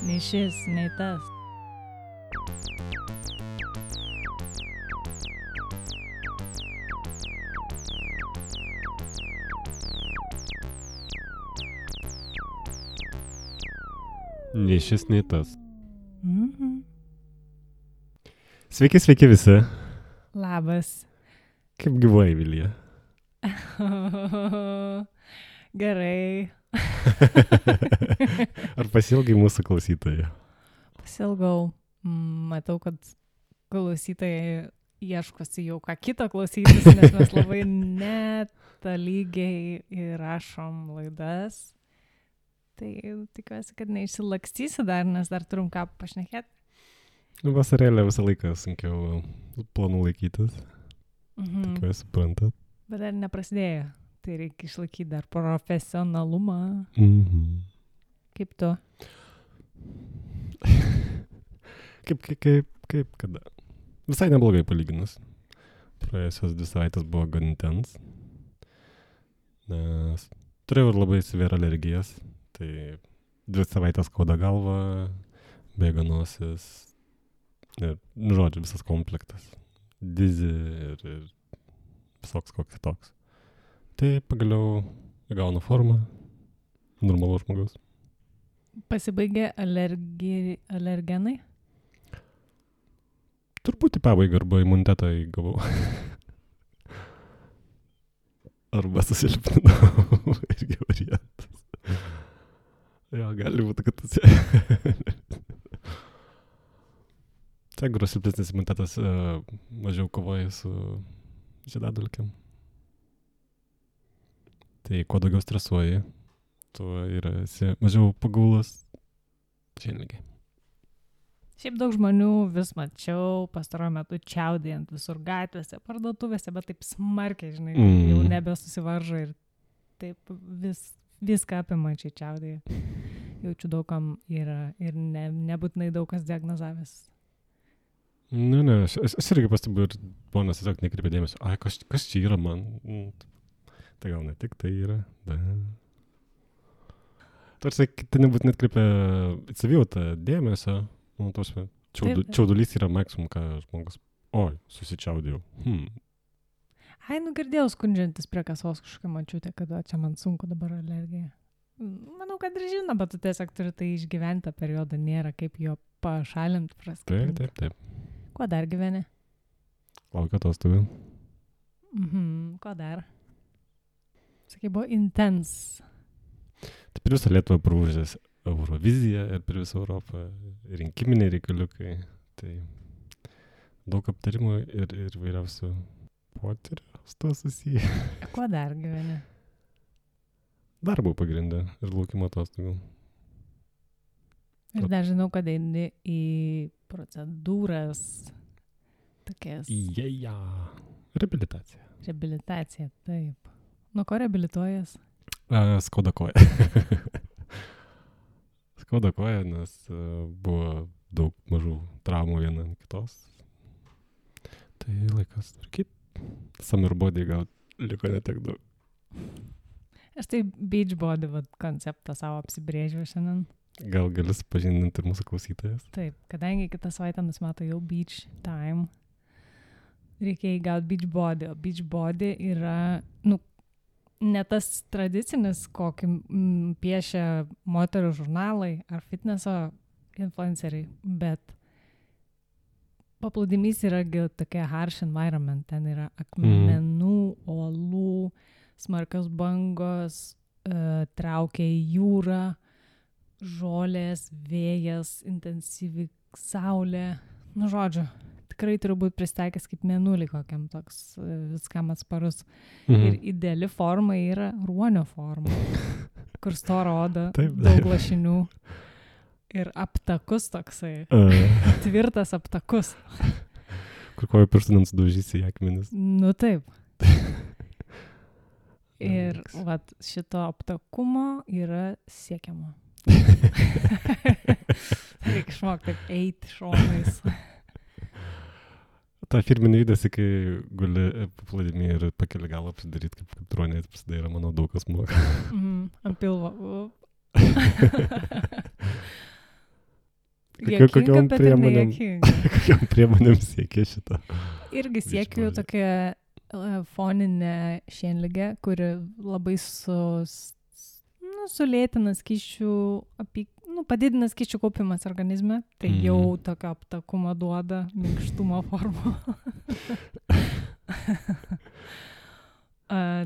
Nei šis, nei tas. Nei šis, nei tas. Mhm. Sveiki, sveiki visi. Labas. Kaip gyvuoji, Vilija? Gerai. Ar pasilgai mūsų klausytojų? Pasilgau. Matau, kad klausytojai ieškosi jau ką kito klausytis, nes mes labai netolygiai įrašom laidas. Tai tikiuosi, kad neišsilakstysi dar, nes dar turim ką pašnekėti. Vasarėlė visą laiką sunkiau planų laikytis. Tikiuosi, suprantat. Bet dar neprasidėjo. Tai reikia išlaikyti dar profesionalumą. Kaip tu? Kaip kada? Visai neblogai palyginus. Praėjusios 2 savaitės buvo gan intens. Nes turėjau labai severe alergijas. Tai 2 savaitės skauda galva, bėga nosis. Ir, žodžiu, visas komplektas. Dizi ir visoks koks toks. Tai pagaliau įgauna formą normalus žmogus. Pasibaigė alergenai? Turbūt į pabaigą arba imunitetą įgavau. Arba susilpninau. Irgi variantas. Jo, gali būti, kad tas... Jeigu silpnesnis imunitetas mažiau kovoja su žiedadulkėm. Tai kuo daugiau stresuoji, tuo esi mažiau pagaulas šiandien. Šiaip daug žmonių vis mačiau pastaruoju metu čiaudėjant visur gatvėse, parduotuvėse, bet taip smarkiai, žinai, jau nebesusivaržo ir taip viską apima čia čiaudėja. Jaučiu daugam yra ir nebūtinai daug kas diagnozavęs. Ne, aš irgi pastebiu ir ponas tiesiog nekreipia dėmesio. Ai, kas čia yra man? Tai gal ne tik tai yra. Tarsi, tai nebūtinai atkreipia savijautą dėmesio. Čiaudulys yra maksimum, ką žmogus... Oi, susičiaudėjau. Ai, girdėjau skundžiantis prie kasos kažkokią mačiutę, kad čia man sunku dabar alergija. Manau, kad ir žino, bet tu tiesiog turi tai išgyventi periodą, nėra kaip jo pašalinti, praskipinti. Taip. Kuo dar gyveni? Laukia atostogų. Kuo dar? Sakai, buvo intens. Tai per visą Lietuvą prūžęs Euroviziją ir per visą Europą rinkiminiai reikaliukai. Tai daug aptarimų ir vairiausių potyrių su to susiję. Kuo dar gyveni? Darbo pagrindę ir laukimo atostogų. Ir dar žinau, kad eini į procedūras tokias. Reabilitacija. Reabilitacija, taip. Nuo ko reabilituojas? Skauda koja. Skauda koja, nes buvo daug mažų traumų viena ant kitos. Tai laikas tvarkyti. Summer body gal liko netiek daug. Aš tai beach body konceptą savo apsibrėžiau šiandien. Gal gali supažindinti ir mūsų klausytojas? Taip, kadangi kitą savaitę nusimato jau beach time, reikia įgauti beach body. O beach body yra, ne tas tradicinis, kokį piešia moterų žurnalai ar fitneso influenceriai, bet paplūdimys yra tokia harsh environment. Ten yra akmenų, uolų, smarkios bangos, traukia į jūrą, žolės, vėjas, intensyvi saulė. Žodžiu, tikrai turi būti pristaikęs kaip mėnulį kokiam toks viskam atsparus. Ir ideali forma yra ruonio forma, kur stora oda, daug lašinių ir aptakus toksai, tvirtas aptakus. Kur kojų pirštų nenusudaužysi į akmenis. Taip. Ir šito aptakumo yra siekiama. Reikia išmokti taip eiti šonais. Ta firminė judesi, kai guli paplūdimy ir pakeli galą apsidaryti, kaip tronės pasidaira, manau, daug kas moka. Ant pilvo. Kokiom priemonėm siekia šitą? Irgi siekiu tokią foninę šienligę, kuri labai sulėtina skysčių, padidina skysčių kaupimas organizme, tai jau tokio aptakumo duoda, minkštumo formų.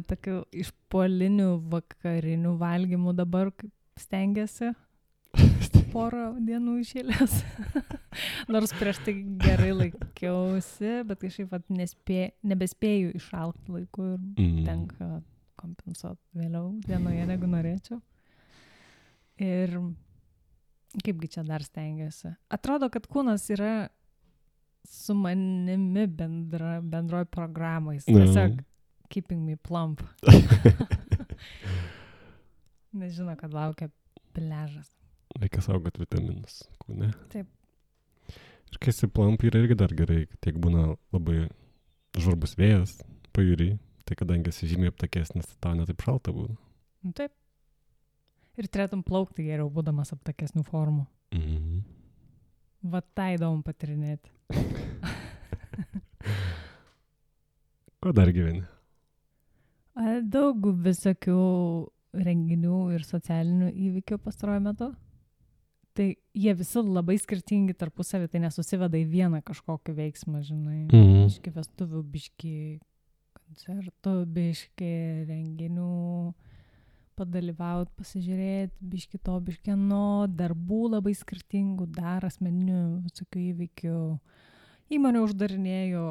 Tokių išpuolinių vakarinių valgymų dabar stengiasi porą dienų išėlės. Nors prieš tai gerai laikiausi, bet kažkaip nebespėju išalkti laiku ir tenka kompensuoti vėliau dienoje, negu norėčiau. Ir kaipgi čia dar stengiuosi. Atrodo, kad kūnas yra su manimi bendroj programais. Tiesiog keeping me plump. Nežino, kad laukia pliažas. Reikia saugoti vitaminus kūne. Taip. Ir kai esi plump, yra irgi dar gerai, tiek būna labai žvarbus vėjas pajūry, tai kadangi esi žymiai aptakesnis, tau netaip šalta būna. Taip. Ir turėtum plaukti geriau, būdamas aptakesnių formų. Va tai įdomu patirinėti. Ko dar gyveni? Daug visokių renginių ir socialinių įvykių pastaruoju metu. Tai jie visi labai skirtingi tarpusavį, tai nesusiveda į vieną kažkokį veiksmą, žinai. Biški vestuvių, biški koncertų, biški renginių, padalyvauti, pasižiūrėti, biški to, biški ano, darbų labai skirtingų, dar asmeninių visokių įvykių. Įmonę uždarinėjau,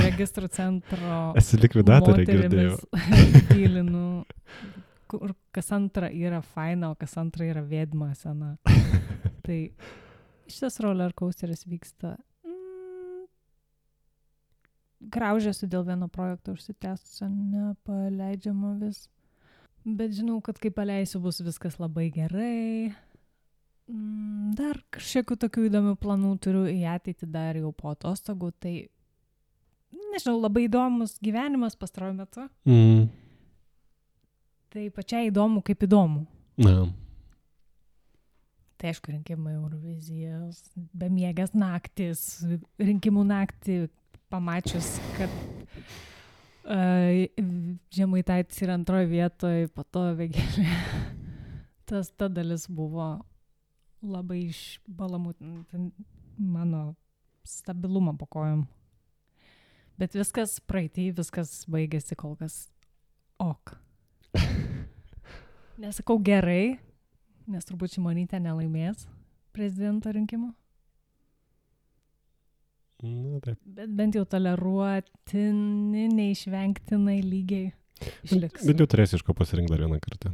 registrų centro esi likvidatorė, girdėjau. Tylinu, kur kas antra yra faina, o kas antra yra vėdma sena. Tai šitas roller coasteris vyksta. Graužiuosi dėl vieno projekto užsitęstusio, nepaleidžiama vis. Bet žinau, kad kai paleisiu, bus viskas labai gerai. Dar kažkokių tokių įdomių planų turiu į ateitį dar jau po atostogų. Tai, nežinau, labai įdomus gyvenimas pastaruoju metu. Tai pačiai įdomu, kaip įdomu. Tai aišku, rinkimai Eurovizijos, bemiegės naktis, rinkimų naktį pamačius, kad Žemaitaitis yra antroje vietoje, po to Vėgėlė. Ta dalis buvo labai išbalamutinti mano stabilumą po kojom. Bet viskas praeitį, viskas baigėsi kol kas ok. Nesakau gerai, nes turbūt Šimonytė nelaimės prezidento rinkimų. Taip. Bet bent jau toleruotini, neišvengtinai lygiai išliks. Bet jau turėsi iš ko pasirinkti dar vieną kartą.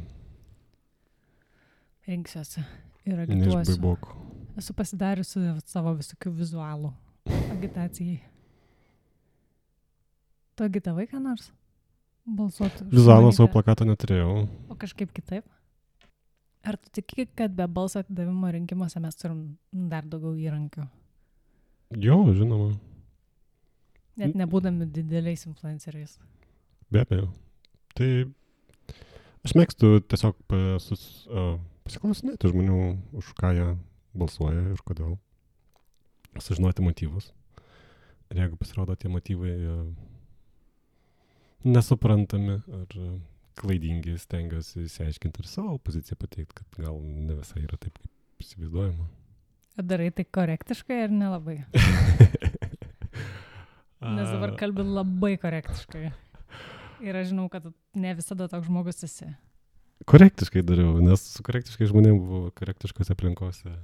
Rinksiuosi ir agituosiu. Neišbaibok. Esu pasidariusi savo visokių vizualų agitacijai. Tu agitavai ką nors? Balsuoti? Vizualą savo plakato neturėjau. O kažkaip kitaip? Ar tu tiki, kad be balso atidavimo rinkimuose mes turim dar daugiau įrankių? Jo, žinoma. Net nebūdami dideliais influenceriais. Be abejo. Tai aš mėgstu tiesiog pasiklausinėti žmonių, už ką jie balsuoja ir kodėl. Sužinoti motyvus. Ir jeigu pasirodo tie motyvai nesuprantami ar klaidingi, stengiuosi išsiaiškinti ir savo poziciją pateikti, kad gal ne visai yra taip, kaip įsivaizduojama. Darai tai korektiškai ar nelabai? Nes dabar kalbi labai korektiškai. Ir aš žinau, kad ne visada toks žmogus esi. Korektiškai dariau, nes su korektiškai žmonėm buvo korektiškose aplinkose.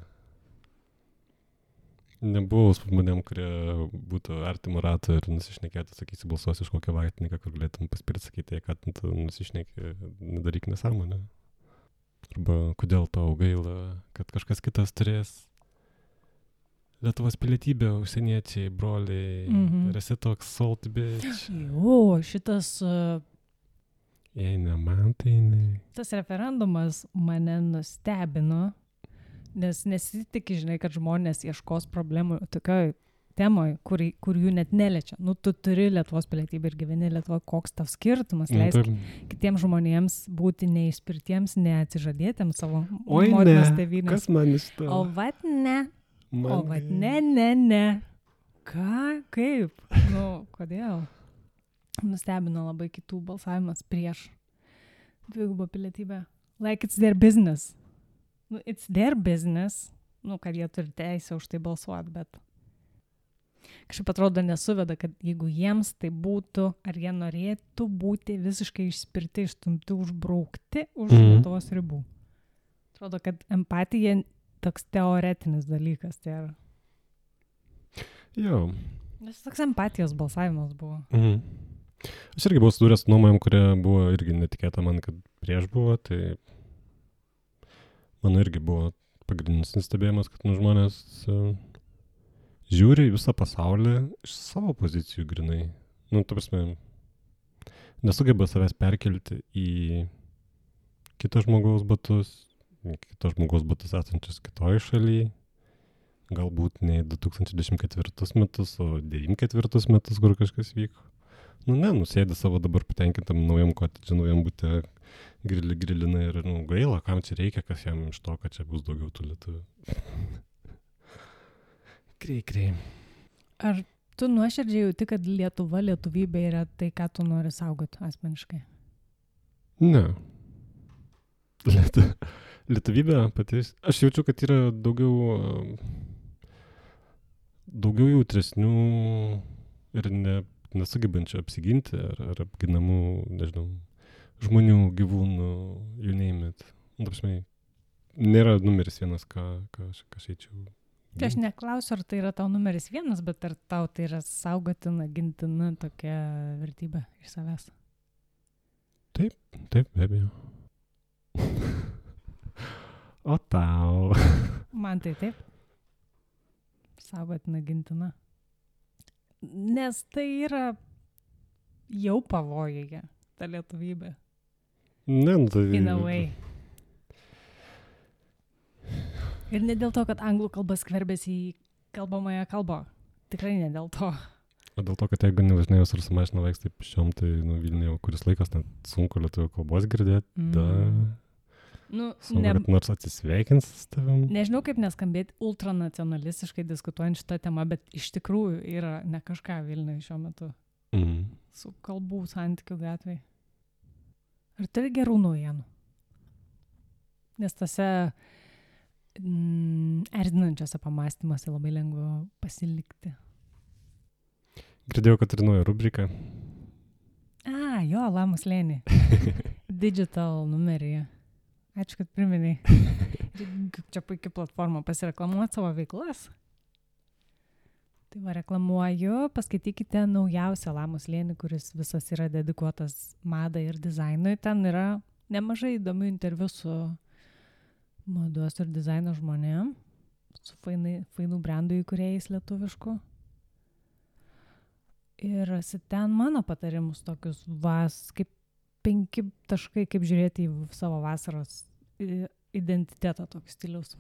Nebuvau su žmonėm, kurie būtų artimo rato ir nusišnekėtų, sakysi, balsuosi iš kokią vaitininką, kur galėtum paspirti sakyti, kad tu nusišneki, nedaryk nesąmonę. Arba kodėl tau gaila, kad kažkas kitas turės Lietuvos pilietybė, užsieniečiai, broliai, ir esi toks salt bitch. Jo, šitas... Jei ne man, tai ne. Tas referendumas mane nustebino, nes nesitikė, žinai, kad žmonės ieškos problemų tokioj temoj, kur jų net neliečia. Nu, tu turi Lietuvos pilietybę ir gyveni Lietuvoje, koks tau skirtumas, leisk kitiems žmonėms būti neišspirtiems, neatsižadėtiems savo motinos tėvynės. Kas man iš to? O vat ne. O, bet ne. Ką? Kaip? Kodėl? Nustebino labai kitų balsavimas prieš dvigubą pilietybę. Like it's their business. It's their business. Kad jie turi teisę už tai balsuoti, bet kažkaip atrodo nesuveda, kad jeigu jiems tai būtų, ar jie norėtų būti visiškai išspirti, išstumti, užbraukti už Lietuvos ribų. Atrodo, kad empatija toks teoretinis dalykas. Tai yra. Jo. Nes toks empatijos balsavimas buvo. Aš irgi buvau sudūręs su nuomonėm, kurie buvo irgi netikėta man, kad prieš buvo, tai mano irgi buvo pagrindinis nustebėjimas, kad žmonės žiūri į visą pasaulį iš savo pozicijų grinai. Ta prasme, nesugeba savęs perkelti į kito žmogaus batus esančius kitoj šalyje. Galbūt ne 2024 metus, o 94 metus, kur kažkas vyko. Nusėdė savo dabar patenkintam naujam kotedže, naujam bute, grilina ir gaila, kam čia reikia, kas jam iš to, kad čia bus daugiau tų lietuvių. Krei. Ar tu nuoširdžiai jauti, kad Lietuva, lietuvybė yra tai, ką tu nori saugoti asmeniškai? Ne. Lietuvybė pati, aš jaučiu, kad yra daugiau jautresnių ir nesugebančių apsiginti ar apginamų, nežinau, žmonių, gyvūnų, you name it. Nėra numeris vienas, ką aš eičiau. Tai aš neklausiu, ar tai yra tau numeris vienas, bet ar tau tai yra saugotina, gintina tokia vertybė iš savęs? Taip, be abejo. O tau? Man tai taip. Saugotina, gintina. Nes tai yra jau pavojuje, ta lietuvybė. Tai... In a way. Ir ne dėl to, kad anglų kalba skverbėsi į kalbamąją kalbą. Tikrai ne dėl to. O dėl to, kad jeigu nevažinėjus ar su mašina vaikštai pėsčiom, tai Vilniuje kuris laikas net sunku lietuvių kalbos girdėti. Kad nors atsisveikins su tavim. Nežinau, kaip neskambėti ultranacionalistiškai diskutuojant šitą temą, bet iš tikrųjų yra ne kažką Vilniuje šiuo metu. Su kalbų santykių gatvėje. Ar turi gerų naujienų? Nes tose erzinančiose pamastymuose labai lengva pasilikti. Girdėjau, kad turi naują rubriką. Jo, Lamų slėnį. Digital numeryje. Ačiū, kad priminei. Čia puikia platforma pasireklamuoti savo veiklas. Tai reklamuoju, paskaitykite naujausią Lamų slėnį, kuris visas yra dedikuotas madai ir dizainui. Ten yra nemažai įdomių interviu su mados ir dizaino žmonėm, su fainų brandų įkūrėjais lietuviškų. Ir ten mano patarimus tokius kaip 5 taškai, kaip žiūrėti į savo vasaros identitetą tokį stiliaus.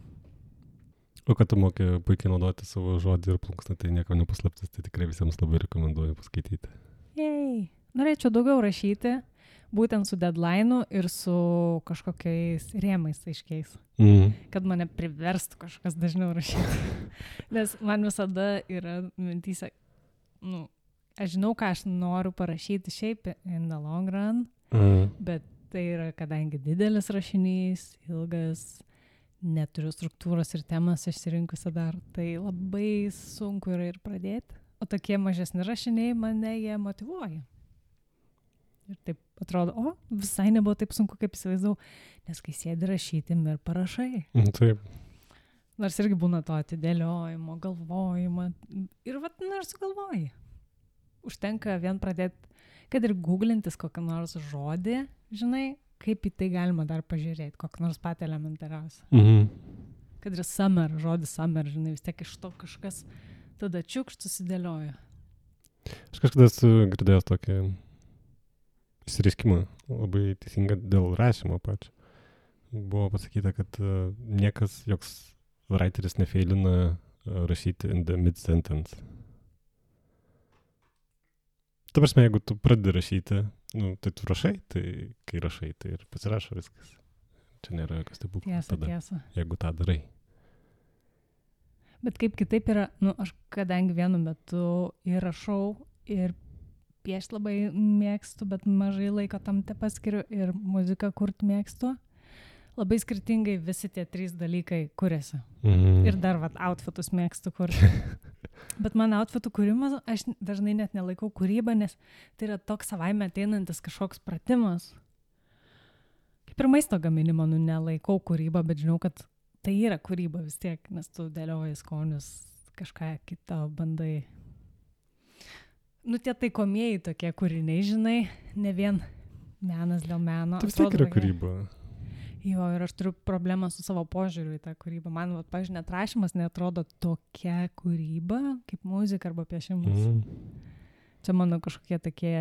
O kad tu moki puikiai naudoti savo žodį ir plunksną, tai nieko nepaslaptis, tai tikrai visiems labai rekomenduoju paskaityti. Norėčiau daugiau rašyti, būtent su deadline'u ir su kažkokiais rėmais aiškiais. Kad mane priverstų kažkas dažniau rašyti. Nes man visada yra mintyse, aš žinau, ką aš noriu parašyti šiaip in the long run, bet tai yra, kadangi didelis rašinys, ilgas, neturiu struktūros ir temas išsirinkusi dar, tai labai sunku yra ir pradėti. O tokie mažesni rašiniai mane jie motyvuoja. Ir taip atrodo, visai nebuvo taip sunku, kaip įsivaizdavau, nes kai sėdi rašyti ir parašai. Taip. Nors irgi būna to atidėliojimo, galvojimo. Ir nors sugalvoji. Užtenka vien pradėti, kad ir googlintis kokią nors žodį, žinai, kaip į tai galima dar pažiūrėti, kokią nors patį elementariausią. Kad ir summer, žodis summer, žinai, vis tiek iš to kažkas tada čiukšt susidėlioja. Aš kažkada esu girdėjęs tokį išsireiškimą, labai teisinga dėl rašymo pačio. Buvo pasakyta, kad niekas, joks writeris nefeilina rašyti in the mid-sentence. Ta prasme, jeigu tu pradedi rašyti, tai tu rašai, tai kai rašai, tai ir pasirašo viskas. Čia nėra jokios stebuklo tada, tiesa. jeigu tą darai. Bet kaip kitaip yra, aš kadangi vienu metu ir rašau, ir piešti labai mėgstu, bet mažai laiko tam te paskiriu, ir muziką kurti mėgstu. Labai skirtingai visi tie 3 dalykai kuriasi. Ir dar outfitus mėgstu kurti. Bet man outfitų kūrimas, aš dažnai net nelaikau kūrybą, nes tai yra toks savaime ateinantis kažkoks pratimas. Kaip ir maisto gaminimo, nelaikau kūrybą, bet žinau, kad tai yra kūryba vis tiek, nes tu dėlioji skonius, kažką kitą bandai. Tie taikomieji tokie kūriniai, žinai, ne vien menas dėl meno. Tai vis tiek yra kūryba. Jo, ir aš turiu problemą su savo požiūriu į tą kūrybą. Man, pavyzdžiui, net rašymas neatrodo tokia kūryba, kaip muzika arba piešimas. Čia mano kažkokie tokie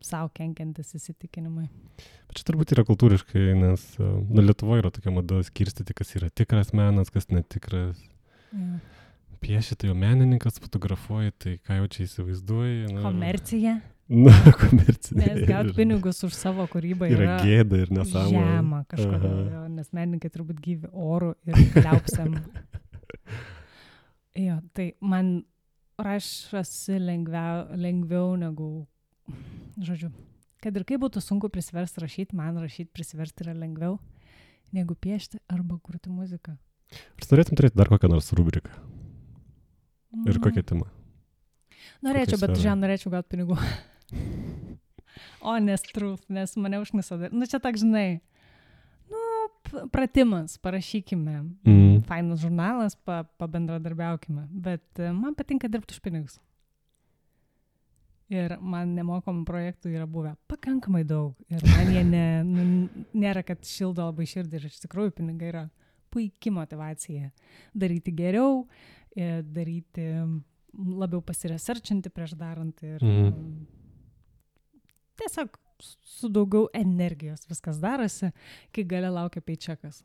savo kenkiantis įsitikinimai. Bet čia turbūt yra kultūriškai, nes Lietuvoje yra tokia mada skirstyti, kas yra tikras menas, kas netikras. Ja. Pieši, tai jau menininkas, fotografuoji, tai ką jau čia įsivaizduoji. Komercija. Komercija. Nes gauti pinigus už savo kūrybą yra gėda ir nesąmonė. Žema kažkodėl, nes menininkai turbūt gyvi orų ir liaupsiam. Jo, tai man rašosi lengviau negu, žodžiu, kad ir kaip būtų sunku prisiversti rašyti, man rašyti prisiversti yra lengviau negu piešti arba kurti muziką. Ar norėtum turėti dar kokią nors rubriką? Ir kokią temą? Norėčiau, bet norėčiau gauti pinigų. Honest truth, nes mane užknisa. Čia tak, žinai, pratimas, parašykime. Fainas žurnalas, pabendradarbiaukime. Bet man patinka dirbti už pinigus. Ir man nemokamų projektų yra buvę pakankamai daug. Ir man jie nėra, kad šildo labai širdį. Ir iš tikrųjų pinigai yra puikia motivacija. Daryti geriau, daryti labiau pasiresearchinti prieš darant ir tiesiog su daugiau energijos viskas darosi, kai gale laukia paycheckas.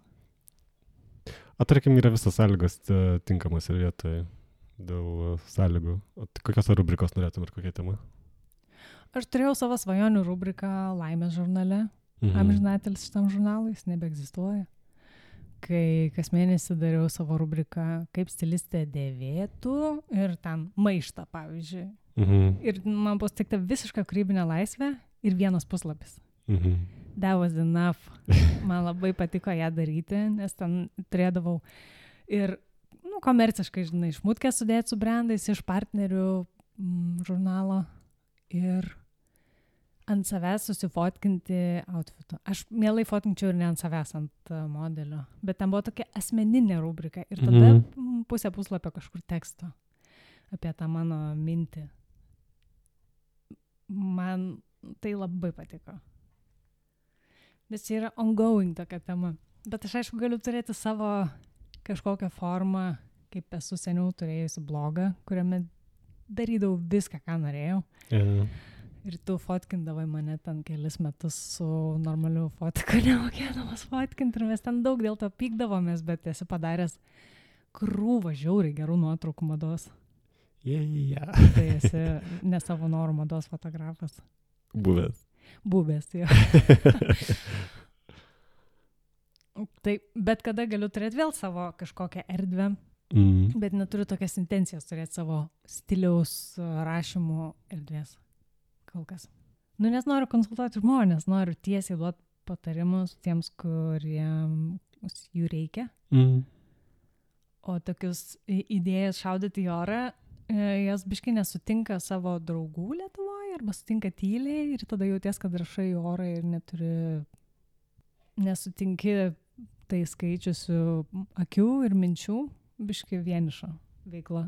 Tarkim, yra visas sąlygos tinkamas ir vietoje dėl sąlygų. Kokios rubrikos norėtum ir kokia tema? Aš turėjau savo svajonių rubriką Laimės žurnale. Amžinatelis šitam žurnalui, jis nebeegzistuoja. Kai kas mėnesį dariau savo rubriką Kaip stilistė dėvėtų ir ten maištą, pavyzdžiui. Ir man buvo suteikta visiška kūrybinė laisvė ir 1 puslapis. That was enough. Man labai patiko ją daryti, nes ten turėdavau ir komerciškai, žinai, šmutkę sudėti su brandais iš partnerių žurnalo ir ant savęs susifotkinti outfitą. Aš mielai fotkinčiau ir ne ant savęs, ant modelio. Bet ten buvo tokia asmeninė rubrika. Ir tada pusę puslapio kažkur teksto apie tą mano mintį. Man tai labai patiko. Nes čia yra ongoing tokia tema. Bet aš aišku galiu turėti savo kažkokią formą, kaip esu seniau turėjusi blogą, kuriame darydavau viską, ką norėjau. Ir tu fotkindavai mane ten kelis metus su normaliu fotiku, nemokėdamas fotkinti, ir mes ten daug dėl to pykdavomės, bet esi padaręs krūvą žiauriai gerų nuotraukų mados. Tai esi ne savo norų mados fotografas. Buvęs, jo. Tai bet kada galiu turėti vėl savo kažkokią erdvę, bet neturiu tokias intencijas turėti savo stiliaus rašymų erdvės. Kol kas. Nes noriu konsultuoti žmonės, noriu tiesiai duoti patarimus tiems, kuriems jų reikia. O tokius idėjas šaudyti į orą, jas biškai nesutinka savo draugų Lietuvoje arba sutinka tyliai ir tada jauties, kad rašai į orą ir nesutinki tai skaičiusių akių ir minčių, biškai vienišo veikla.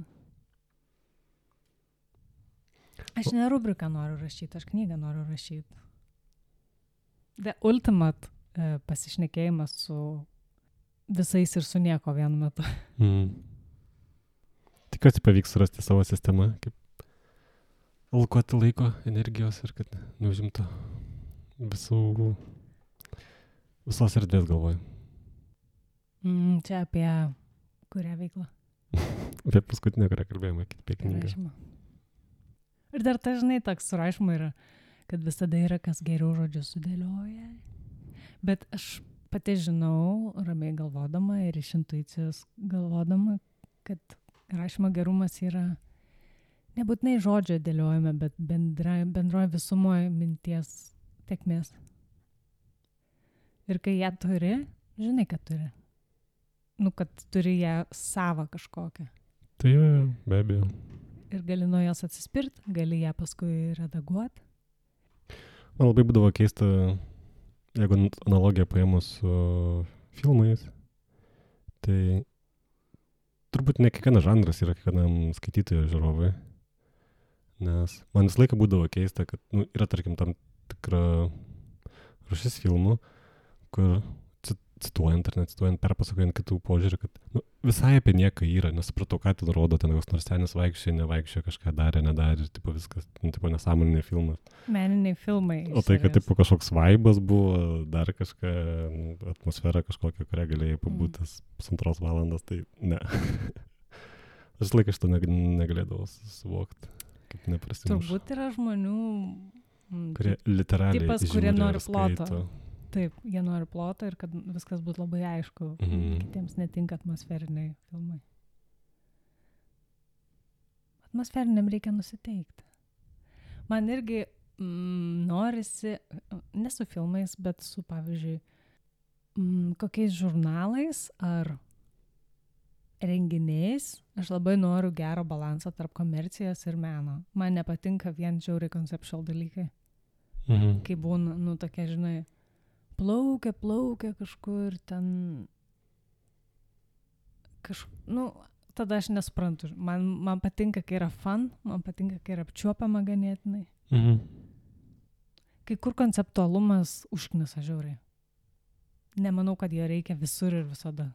Aš ne rubriką noriu rašyti, aš knygą noriu rašyti. The ultimate pasišnekėjimas su visais ir su nieko vienu metu. Tikiuosi pavyks surasti savo sistemą, kaip alkuoti laiko, energijos ir kad neužimtų visos erdvės galvoju. Čia apie kurią veiklą? Apie paskutinę, kurią kalbėjome, apie knygą. Rašymą. Ir dar dažnai toks surašymai yra, kad visada yra kas geriau žodžius sudėlioja. Bet aš pati žinau, ramiai galvodama ir iš intuicijos galvodama, kad rašymo gerumas yra nebūtinai žodžio dėliojame, bet bendroje visumoje minties tekmės. Ir kai ją turi, žinai, kad turi. Kad turi ją savą kažkokią. Tai jo, be abejo. Ir gali nuo jos atsispirti, gali ją paskui redaguoti. Man labai būdavo keista, jeigu analogiją paėmus su filmais, tai turbūt ne kiekvienas žanras yra kiekvienam skaitytojo žiūrovui. Nes man visą laiką būdavo keista, kad yra, tarkim, tam tikra rūšis filmų, kur cituojant ar necituojant, perpasakojant kitų požiūrį, kad visai apie nieką yra, nesupratau, ką ten rodo, ten koks nors senis vaikščioja, nevaikščioja, kažką darė, nedarė, ir tipo viskas, tipo nesąmoniniai filmas. Meniniai filmai. O tai, kad tipo kažkoks vaibas buvo, dar kažką, atmosfera kažkokia, kurią galėjai pabūtis 2 valandos, tai ne. Aš visą laiką šito negalėdavau suvokti, kaip neprasimuša. Turbūt yra žmonių, kurie literaliai tipas, žiūri kurie nori ir skaito. ploto. Taip, jie nori ploto ir kad viskas būtų labai aišku. Kitiems netinka atmosferiniai filmai. Atmosferiniam reikia nusiteikti. Man irgi norisi, ne su filmais, bet su, pavyzdžiui, kokiais žurnalais ar renginiais. Aš labai noriu gero balanso tarp komercijos ir meno. Man nepatinka vien žiauriai conceptual dalykai. Kai būna, tokie, žinai, plaukia kažkur ten tada aš nesuprantu. Man patinka, kai yra fun, man patinka, kai yra apčiuopiama ganėtinai. Kai kur konceptualumas užknisa žiauriai. Nemanau, kad jo reikia visur ir visada.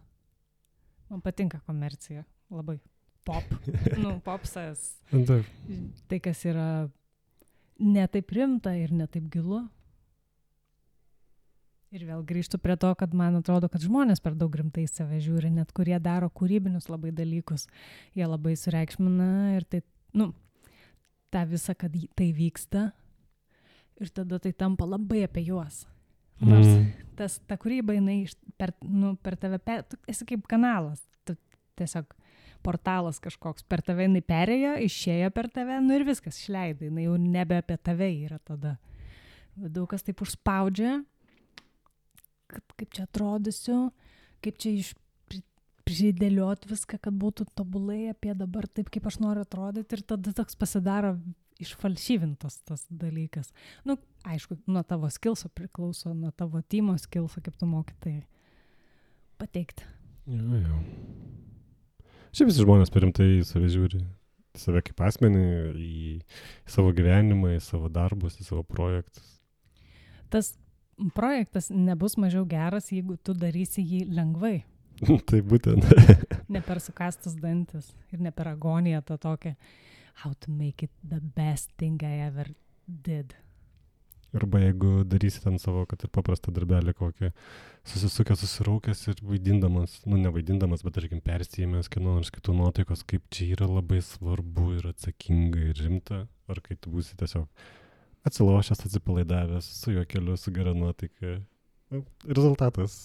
Man patinka komercija, labai pop. Popsas. Tai, kas yra ne taip rimta ir ne taip gilu. Ir vėl grįžtu prie to, kad man atrodo, kad žmonės per daug rimtai save žiūri, net kurie daro kūrybinius labai dalykus. Jie labai sureikšmina ir tai, tą visą, kad tai vyksta. Ir tada tai tampa labai apie juos. Nors ta kūryba, jinai per tave, tu esi kaip kanalas, tu tiesiog portalas kažkoks, per tave jinai perėjo, išėjo per tave, ir viskas, išleidai, jinai jau nebe apie tave yra tada. Daug kas taip užspaudžia, kaip čia atrodysiu, kaip čia pridėliot viską, kad būtų tobulai apie dabar taip, kaip aš noriu atrodyti, ir tada toks pasidaro išfalšyvintas tas dalykas. Aišku, nuo tavo skillso priklauso, nuo tavo timo skillso, kaip tu moki tai pateikti. Jo. Šiaip visi žmonės per rimtai save žiūri, save kaip asmenį, į savo gyvenimą, į savo darbus, į savo projektus. Tas projektas nebus mažiau geras, jeigu tu darysi jį lengvai. Tai būtent. Ne per sukastus dantis ir ne per agoniją tą tokią how to make it the best thing I ever did. Arba jeigu darysi ten savo, kad ir paprastą darbelį kokį, susisukęs, susiraukęs ir vaidindamas, nevaidindamas, bet tarkim persijėmęs kieno nors kitų nuotaikos, kaip čia yra labai svarbu ir atsakinga ir rimta, ar kai tu būsi tiesiog atsilošęs, atsipalaidavęs, su juokeliu, su gera nuotaika. Rezultatas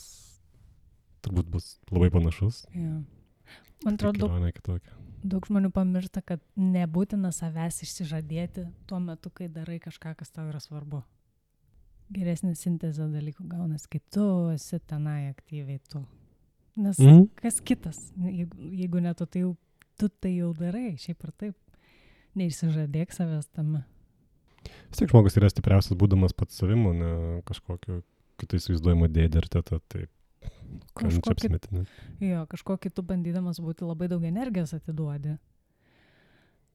turbūt bus labai panašus. Ja. Man atrodo, daug žmonių pamiršta, kad nebūtina savęs išsižadėti tuo metu, kai darai kažką, kas tau yra svarbu. Geresnė sintezė dalykų gaunasi, kai tu esi tenai aktyviai tu. Nes kas kitas, jeigu ne tu, tai tu tai jau darai, šiaip ar taip. Neišsižadėk savęs tame. Vis tiek žmogus yra stipriausias būdamas pats savimu, ne kažkokio kitai įsivaizduojamo dėdė ir teta, taip. Kažko kitų bandydamas būti labai daug energijos atiduodi.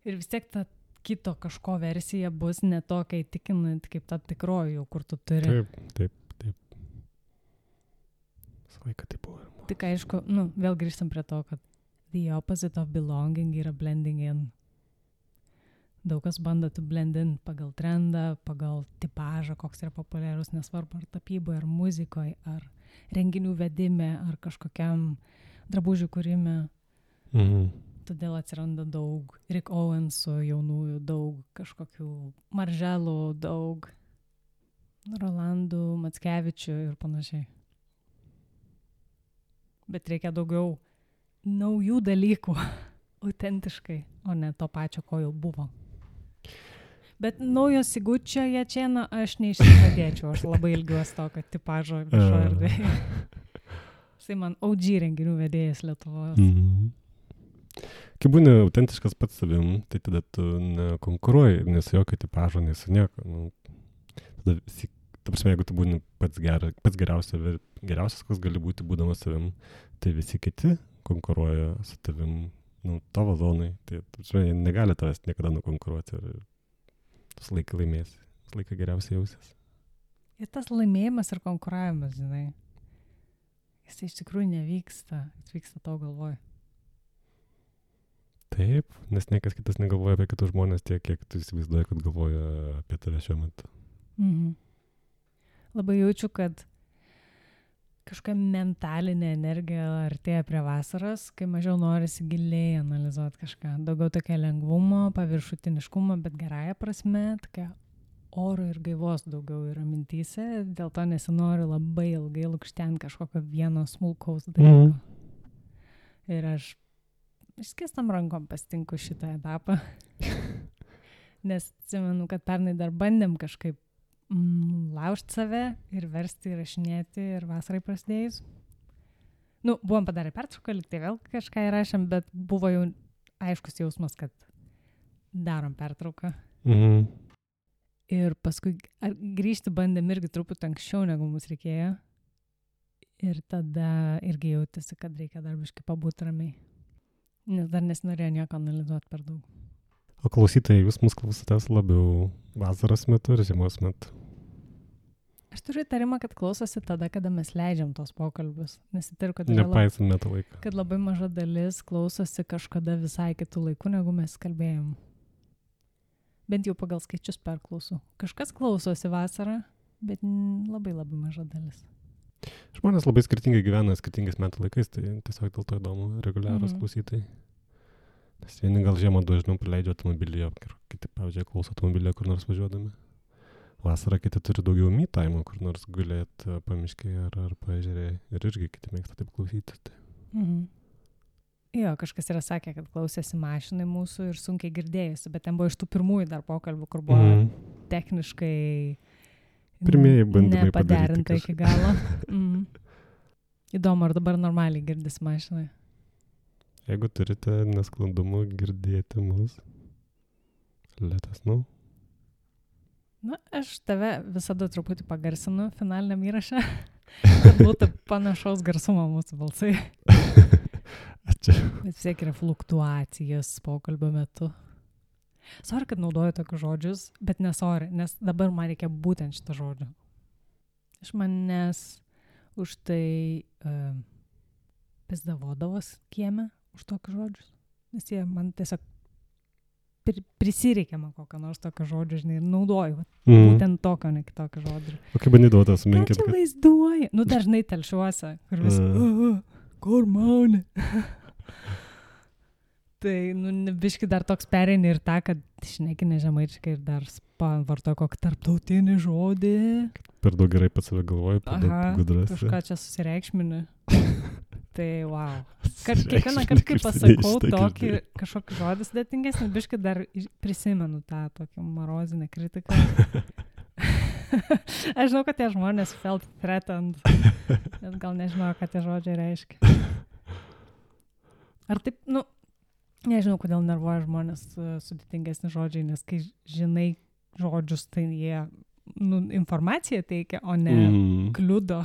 Ir vis tiek ta kito kažko versija bus ne tokia įtikinant, kaip ta tikroji, kur tu turi. Taip. Visą laiką taip buvo. Tik aišku, vėl grįžtam prie to, kad the opposite of belonging yra blending in. Daug kas bando tu blend in pagal trendą, pagal tipažą, koks yra populiarus, nesvarbu ar tapyboje, ar muzikoje, ar renginių vedime, ar kažkokiam drabužių kūrime. Todėl atsiranda daug Rick Owensų jaunųjų, daug kažkokių Marželų, daug Rolandų, Mackevičių ir panašiai. Bet reikia daugiau naujų dalykų, autentiškai, o ne to pačio, ko jau buvo. Bet naujo Sigučio Jačėno aš neišsižadėčiau, aš labai ilgiuosi to, kad tipažo viešo erdvėje. Jisai man OG renginių vedėjas Lietuvos. Kai būni autentiškas pats savim, tai tada tu nekonkuruoji, nes jokio tipažo, nes nieko. Nu, tada visi, ta prasme, jeigu tu būni pats geriausias, koks gali būti būdamas savim, tai visi kiti konkuruoja su tavim, nu, tavo zonai. Tai, ta prasme, negali tavęs niekada nukonkuruoti ir tas laiką laimėsi, tas laiką geriausiai jausies. Ir tas laimėjimas ir konkuravimas, žinai, jis iš tikrųjų nevyksta, jis vyksta tavo galvoj. Taip, nes niekas kitas negalvoja apie kitus žmonės tiek, kiek tu įsivaizduoji, kad galvoja apie tave šiuo metu. Labai jaučiu, kad kažkokia mentalinė energija artėja prie vasaros, kai mažiau norisi giliai analizuoti kažką. Daugiau tokia lengvumo, paviršutiniškumo, bet gerąją prasme, tokia oro ir gaivos daugiau yra mintyse, dėl to nesinori labai ilgai lukštenti kažkokio vieno smulkaus dalyko. Ir aš išskėstam rankom pasitinku šitą etapą, nes atsimenu, kad pernai dar bandėm kažkaip laužti save ir versti įrašinėti ir vasarai prasidėjus. Nu, buvom padarę pertrauką, tai vėl kažką įrašėm, bet buvo jau aiškus jausmas, kad darom pertrauką. Ir paskui grįžti bandėm irgi truputį anksčiau, negu mums reikėjo. Ir tada irgi jautėsi, kad reikia dar biškį pabūti ramiai. Nes dar nesinorėjo nieko analizuoti per daug. O klausytojai, jūs mus klausotės labiau vasaros metu ir žiemos metu? Aš turiu įtarimą, kad klausosi tada, kada mes leidžiam tos pokalbius. Nes įtariu, kad, nepaisant metų laiką. Kad labai maža dalis klausosi kažkada visai kitų laikų, negu mes kalbėjom. Bent jau pagal skaičius perklausų. Kažkas klausosi vasarą, bet labai labai maža dalis. Žmonės labai skirtingai gyvena skirtingais metų laikais, tai tiesiog dėl to įdomu reguliarūs klausytojai. Nes vieni gal žiemą dažniau praleidžia automobilyje, kiti, pavyzdžiui, klauso automobilyje kur nors važiuodami. Vasarą kiti turi daugiau me time, kur nors gulėti pamiškėje ar paežerėje. Ir irgi kiti mėgsta taip klausyti. Tai. Jo, kažkas yra sakę, kad klausėsi mašinai mūsų ir sunkiai girdėjusi, bet ten buvo iš tų pirmųjų dar pokalbių, kur buvo techniškai pirmieji bandymai nepaderinta iki galo. Įdomu, ar dabar normaliai girdisi mašinai? Jeigu turite nesklandumų girdėti mus, let us know. Na, aš tave visada truputį pagarsinu finaliniam įrašą, kad būtų panašaus garsumo mūsų balsai. Ačiū. Bet vis tiek yra fluktuacijos pokalbio metu. Sorry, kad naudoju tokius žodžius, bet nesorry, nes dabar man reikia būtent šito žodžio. Iš manęs už tai pizdavodavos kieme už tokius žodžius. Nes jie man tiesiog prisireikia man kokią nors tokio žodžio, žinai, ir naudoju. Būtent tokio, ne kitokio žodžio. O kaip bandydavo tą sumenkint? Ką čia vaizduoja? Nu, dažnai telšiuose, kur vis, kur mauni? Tai, nu, biški dar toks pereini ir tą, kad šneki nežemaičiai ir dar vartoja kokį tarptautinį žodį. Per daug gerai pats save galvoju, per daug gudras. Kažką čia susireikšmini. Tai, wow. Kiekvieną kartą, kai pasakau tokį kažkokį žodį sudėtingesnį, biškai dar prisimenu tą tokį marozinę kritiką. Aš žinau, kad tie žmonės felt threatened, bet gal nežinau, ką tie žodžiai reiškia. Ar taip, nu, nežinau, kodėl nervuoja žmonės sudėtingesni žodžiai, nes kai žinai žodžius, tai jie informaciją teikia, o ne kliudo.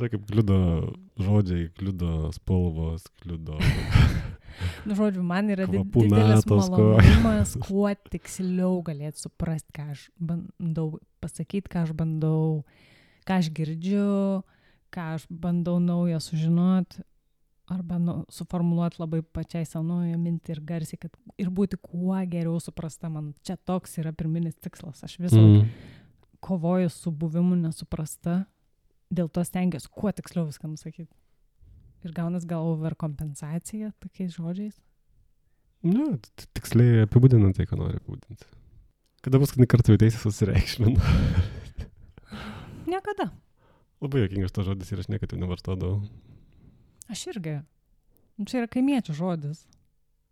Tai kaip kliudo žodžiai, kliudo spalvos, kliudo... Nu, žodžiu, man yra didelis malonumas, kuo tiksliau galėti suprasti, ką aš bandau pasakyti, ką aš bandau, ką aš girdžiu, ką aš bandau naujo sužinoti, arba suformuluoti labai pačiai savo naują mintį ir garsiai, kad ir būti kuo geriau suprasta. Man čia toks yra pirminis tikslas. Aš visą kovoju su buvimu nesuprasta, dėl to stengiuosi kuo tiksliau viską nusakyti. Ir gaunas gal overkompensacija tokiais žodžiais? Ne, tiksliai apibūdinant tai, ką nori apibūdinti. Kada paskutinį kartą jautėsi susireikšminu? Niekada. Labai juokingas tas žodis ir aš niekada nevartodavau. Aš irgi. Čia yra kaimiečių žodis.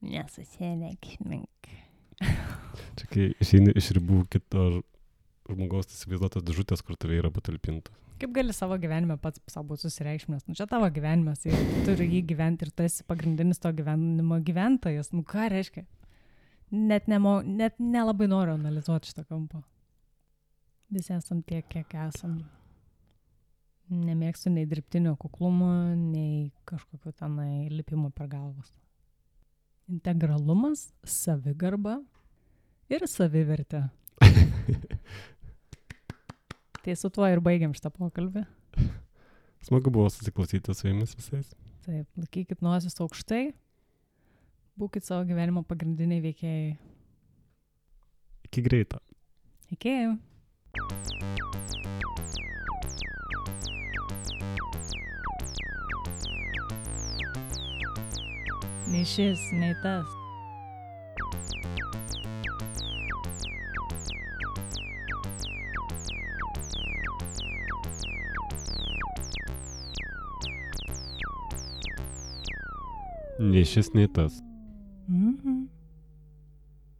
Nesusireikšmink. Čia kai išeini iš ribų kito žmogaus įsivaizduotos dėžutės, kur tave yra patalpinta. Kaip gali savo gyvenime pats savo būti susireikšmęs? Čia tavo gyvenimas ir tu turi jį gyventi ir tu esi pagrindinis to gyvenimo gyventojas. Ką reiškia? Net nelabai noriu analizuoti šitą kampą. Visi esam tiek, kiek esam. Nemėgstu nei dirbtinio kuklumo, nei kažkokio tenai lipimo per galvas. Integralumas, savigarba ir savivertė. Tai su tuo ir baigiam šitą pokalbį. Smagu buvo susiklausyti su jumis visais. Taip, laikykit nosis aukštai, būkit savo gyvenimo pagrindiniai veikėjai. Iki greito. Iki. Nei šis, nei tas. Nei šis, nei tas.